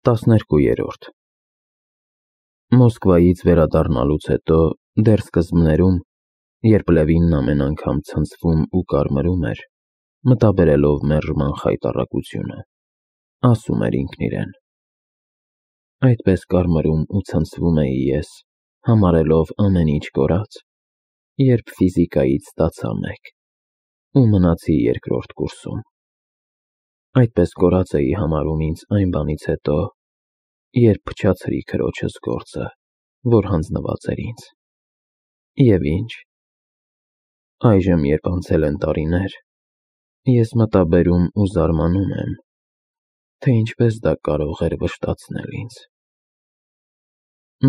12-րդ Մոսկվայից վերադառնալուց հետո դեռ սկզբներում, երբ Լևինն ամեն անգամ ցնցվում ու կարմրում էր, մտաբերելով մերժման խայտառակությունը, ասում էր ինքն իրեն. այդպես կարմրում ու ցնցվում էի ես, համարելով ամեն ինչ կորած, երբ ֆիզիկայից ստացա 1 ու մնացի երկրորդ կուրսում։ Այդպես կորած էի համարում ինձ այն բանից հետո, երբ փչացրի քրոջս գործը, որ հանձնված էր ինձ։ Եվ ինչ, այժմ երբ անցել են տարիներ, ես մտաբերում ու զարմանում եմ, թե ինչպես դա կարող էր վշտացնել ինձ։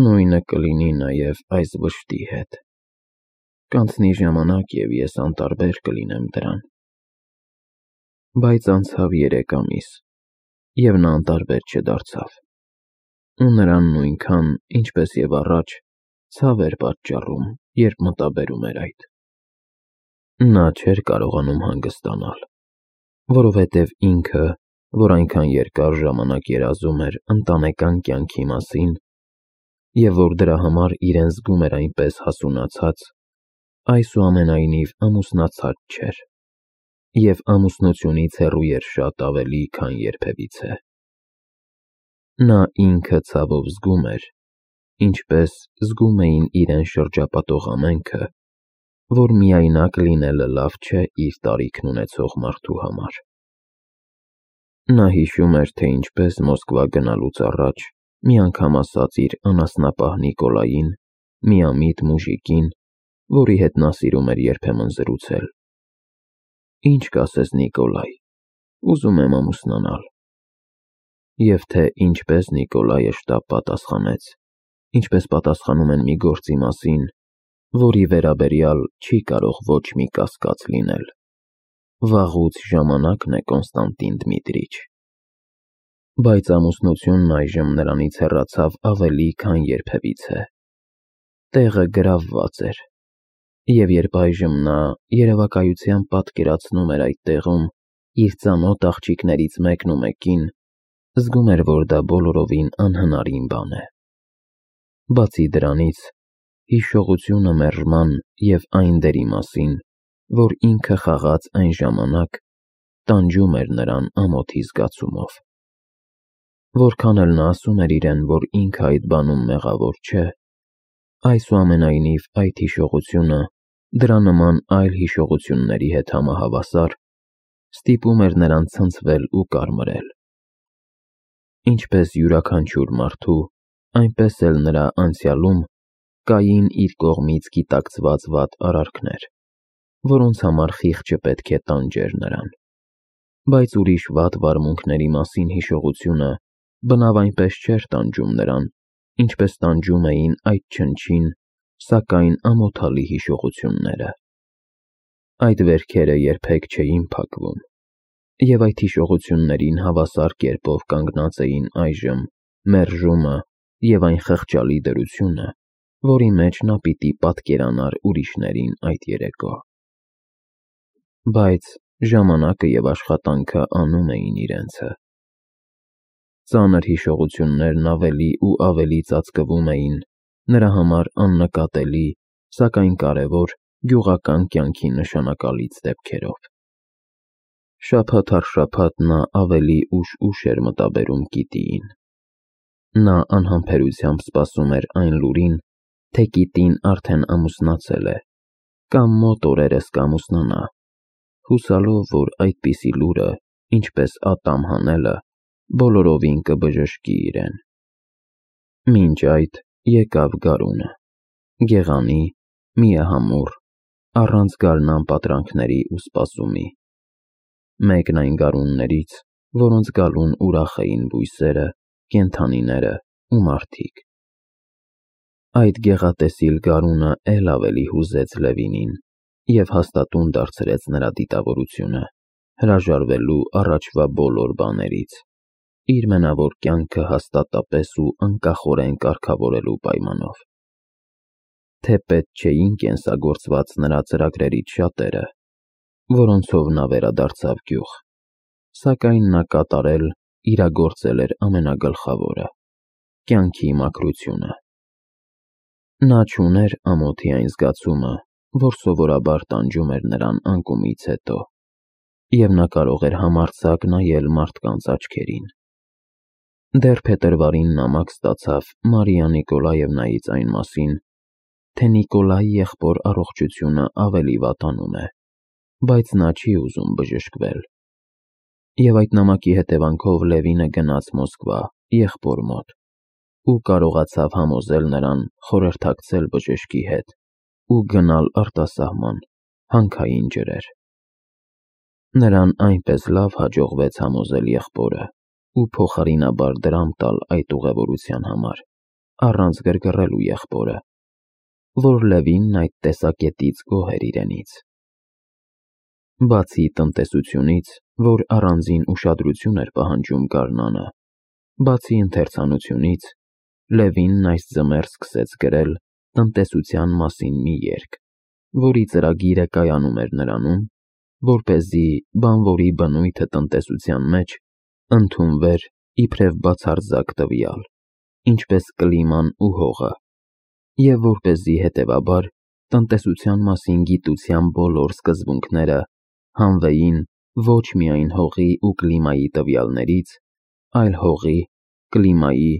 Նույնը կլինի նաև այս վշտի հետ։ Կանցնի ժամանակ և ես անտարբեր կլինեմ դրան։ Բայց անցավ 3 ամիս, և նա անտարբեր չդարձավ, ու նրան նույնքան, ինչպես և առաջ, ցավ էր պատճառում, երբ մտաբերում էր այդ։ Նա չէր կարողանում հանգստանալ, որովհետև ինքը, որ այնքան երկար ժամանակ երազում էր ընտանեկան կյանքի մասին, և որ դրա համար իրեն զգում էր այնպես հասունացած, այսուամենայնիվ ամուսնացած չէր, և ամուսնությունից հեռու էր շատ ավելի, քան երբևիցե։ Նա ինքը ցավով զգում էր, ինչպես զգում էին իրեն շրջապատող ամենքը, որ միայնակ լինելը լավ չէ իր տարիքն ունեցող մարդու համար։ Նա հիշում էր, թե ինչպես Մոսկվա գնալուց առաջ մի անգամ ասաց իր անասնապահ Նիկոլային, միամիտ մուժիկին, որի հետ նա սիրում էր երբեմն զրուցել. «Ինչ կասես, Նիկոլայ, ուզում եմ ամուսնանալ»։ Եվ թե ինչպես Նիկոլայը շտապ պատասխանեց, ինչպես պատասխանում են մի գործի մասին, որի վերաբերյալ չի կարող ոչ մի կասկած լինել. վաղուց ժամանակն է, Կոնստանտին Դմիտրիչ։ Բայց ամուսնությունն այժմ նրանից հեռացավ ավելի, քան երբևիցե։ Տեղը գրավված էր, և երբ այժմ նա երևակայությամբ պատկերացնում էր այդ տեղում իր ծանոթ աղջիկներից մեկնումեկին, զգում էր, որ դա բոլորովին անհնարին բան է։ Բացի դրանից, հիշողությունը մերժման և այն դերի մասին, որ ինքը խաղաց այն ժամանակ, տանջում էր նրան ամոթի զգացումով։ Որքան էլ նա ասում էր իրեն, որ ինքը այդ բանում մեղավոր չէ, այսուամենայնիվ այդ հիշողությունը, դրա նման այլ հիշողությունների հետ համահավասար, ստիպում էր նրան ցնցվել ու կարմրել։ Ինչպես յուրաքանչյուր մարդու, այնպես էլ նրա անցյալում կային իր կողմից գիտակցված վատ արարքներ, որոնց համար խիղճը պետք է տանջեր նրան։ Բայց ուրիշ վատ վարմունքների մասին հիշողությունը բնավ այնպես չէր տանջում նրան, ինչպես տանջում էին այդ չնչին, սակայն ամոթալի հիշողությունները։ Այդ վերքերը երբեք չէին փակվում, և այդ հիշողություններին հավասար կերպով կանգնած էին այժմ մերժումը և այն խղճալի դրությունը, որի մեջ նա պիտի պատկերանար ուրիշներին այդ երեկո։ Բայց ժամանակը և աշխատանքը անում էին իրենցը։ Ծանր հիշողություններն ավելի ու ավելի ծածկվում էին նրա համար աննկատելի, սակայն կարևոր գյուղական կյանքի նշանակալից դեպքերով։ Շաբաթ առ շաբաթ նա ավելի ուշ էր մտաբերում Կիտիին։ Նա անհամբերությամբ սպասում էր այն լուրին, թե Կիտին արդեն ամուսնացել է, կամ մոտ օրերս կամուսնանա, հուսալով, որ այդպիսի լուրը, ինչպես ատամ հանելը, բոլորովին կբժշկի իրեն։ Մինչ այդ եկավ գարունը, գեղանի, միահամուռ, առանց գարնան պատրանքների ու սպասումի։ Մեկն այն գարուններից, որոնց գալուն ուրախ էին բույսերը, կենդանիները ու մարդիկ։ Այդ գեղատեսիլ գարունը էլ ավելի հուզեց Լևինին և հաստատուն դարձրեց նրա դիտավորությունը, հրաժարվելու առաջվա բոլոր բաներից, իր մենավոր կյանքը հաստատապես ու անկախորեն կարգավորելու պայմանով։ Թեպետ չէին կենսագործված նրա ծրագրերից շատերը, որոնցով նա վերադարձավ գյուղ, սակայն նա կատարել իրագործել էր ամենագլխավորը՝ կյանքի մաքրությունը։ Նա չուներ ամոթի այն զգացումը, որ սովորաբար տանջում էր նրան անկումից հետո, և նա կարող էր համարձակ նայել մարդկանց աչքերին։ Դեռ փետրվարին նամակ ստացավ Մարիա Նիկոլաևնայից այն մասին, թե Նիկոլայի եղբոր առողջությունը ավելի վատանում է, բայց նա չի ուզում բժշկվել։ Եվ այդ նամակի հետևանքով Լևինը գնաց Մոսկվա եղբոր մոտ ու կարողացավ համոզել նրան խորհրդակցել բժշկի հետ ու գնալ արտասահման հանքային ջրեր։ Նրան այնպես լավ հաջողվեց համոզել եղբորը ու փոխարինաբար դրամ տալ այդ ուղևորության համար, առանց գրգռելու եղբորը, որ Լևինն այդ տեսակետից գոհ էր իրենից։ Բացի տնտեսությունից, որ առանձին ուշադրություն էր պահանջում գարնանը, բացի ընթերցանությունից, Լևինն այս ձմեռ սկսեց գրել տնտեսության մասին մի երգ, որի ծրագիրը կայանում էր նրանում, որպեսզի բանվորի բնույթը տնտեսության մեջ ընդունվեր իբրև բացարձակ տվյալ, ինչպես կլիման ու հողը, և որպեսզի հետևաբար տնտեսության մասին գիտության բոլոր սկզբունքները հանվեին ոչ միայն հողի ու կլիմայի տվյալներից, այլ հողի, կլիմայի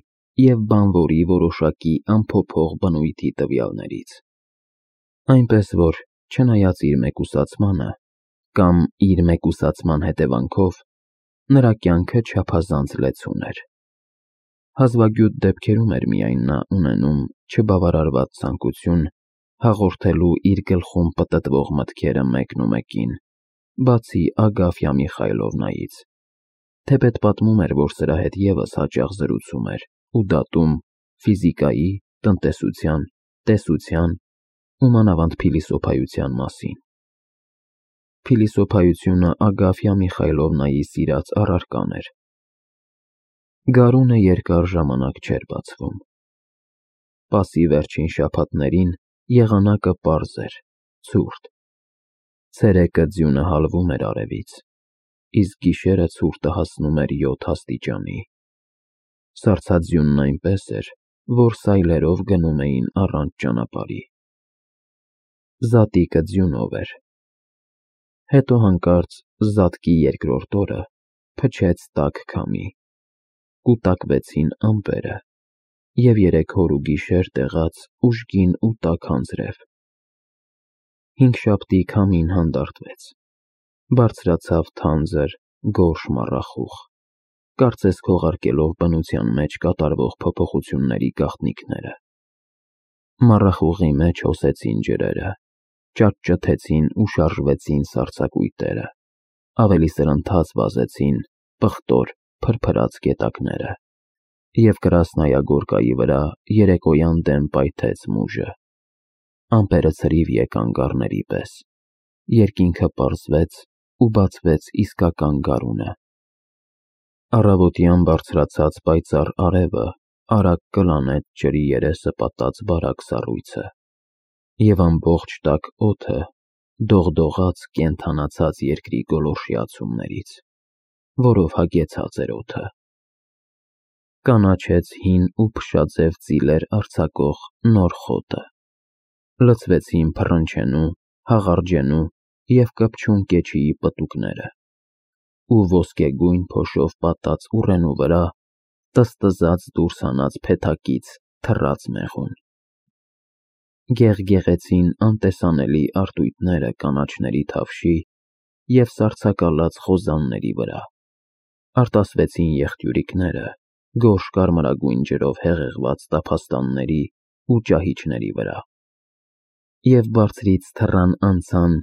և բանվորի որոշակի անփոփոխ բնույթի տվյալներից։ Այնպես որ, չնայած իր մեկուսացմանը կամ իր մեկուսացման հետևանքով, նրա կյանքը չափազանց լեցուն էր։ Հազվագյուտ դեպքերում էր միայն նա ունենում չբավարարված ցանկություն հաղորդելու իր գլխում պտտվող մտքերը մեկնումեկին, բացի Ագաֆյա Միխայլովնայից, թեպետ պատմում էր, որ սրա հետ ևս հաճախ զրուցում էր ու դատում ֆիզիկայի, տնտեսության, տեսության ու մանավանդ փիլիսոփայության մասին։ Փիլիսոփայությունը Ագաֆյա Միխայլովնայի սիրած առարկան էր։ Գարունը երկար ժամանակ չէր բացվում։ Պասի վերջին շաբաթներին եղանակը պարզ էր, ցուրտ։ Ցերեկը ձյունը հալվում էր արևից, իսկ գիշերը ցուրտը հասնում էր 7 աստիճանի։ Սառցաձյունն այնպես էր, որ սայլերով գնում էին առանց ճանապարհի։ Զատիկը ձյունով էր։ Հետո հանկարծ զատկի երկրորդ օրը փչեց տաք քամի, կուտակվեցին ամպերը, և 3 օր ու գիշեր տեղաց ուժգին ու տաք անձրև։ Հինգշաբթի քամին հանդարտվեց, բարձրացավ թանձր, գորշ մառախուղ, կարծես քողարկելով բնության մեջ կատարվող փոփոխությունների գաղտնիքները։ Մառախուղի մեջ հոսեցին ջրերը, ճաճճթեցին ու շարժվեցին սառցակույտերը, ավելի սրընթաց վազեցին պղտոր, փրփրած գետակները, և Կրասնայագորկայի վրա երեկոյան դեմ պայթեց մուժը։ Ամպերը ցրիվ եկան գառների պես, երկինքը պարզվեց ու բացվեց իսկական գարունը։ Առավոտյան բարձրացած պայծառ արևը արագ կլանեց ջրի երեսը պատած բարակ սառույցը, և ամբողջ տաք օդը դողդողաց կենդանացած երկրի գոլորշի ացումներից, որով հագեցած էր օդը։ Կանաչեց հին ու փշաձև ծիլեր արձակող նոր խոտը, լցվեցին փռնչենու, հաղարջենու և կպչուն կեչիի պտուկները, ու ոսկեգույն փոշով պատած ուռենու վրա տզտզաց դուրս հանած փեթակից թռաց մեղուն։ Գեղգեղեցին անտեսանելի արտույտները կանաչների թավշի և սառցակալած խոզանների վրա, արտասվեցին եղջյուրիկները գորշ կարմրագույն ջրով հեղեղված տափաստանների ու ճահիճների վրա, և բարձրից թռան անցան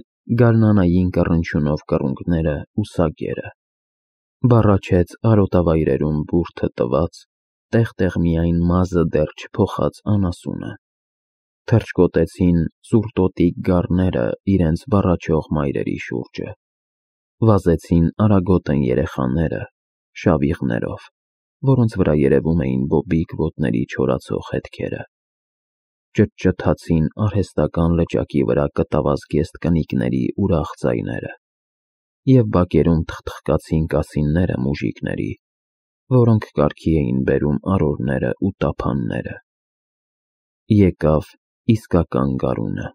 գարնանային կռնչյունով կռունկները ու սագերը, բառաչեց արոտավայրերում բուրդը տված, տեղ-տեղ միայն մազը դեռ չփոխած անասունը, թռչկոտեցին սուրտոտիկ գառները իրենց բառաչող մայրերի շուրջը, վազեցին արագոտն երեխաները շավիղներով, որոնց վրա երևում էին բոբիկ ոտների չորացող հետքերը, ճտճթացին արհեստական լճակի վրա կտավազգեստ կնիկների ուրախ ձայները, և բակերում թխթխկացին կասինները մուժիկների, որոնք կարգի էին բերում արորները ու տափանները։ Եկավ իսկական գարունը։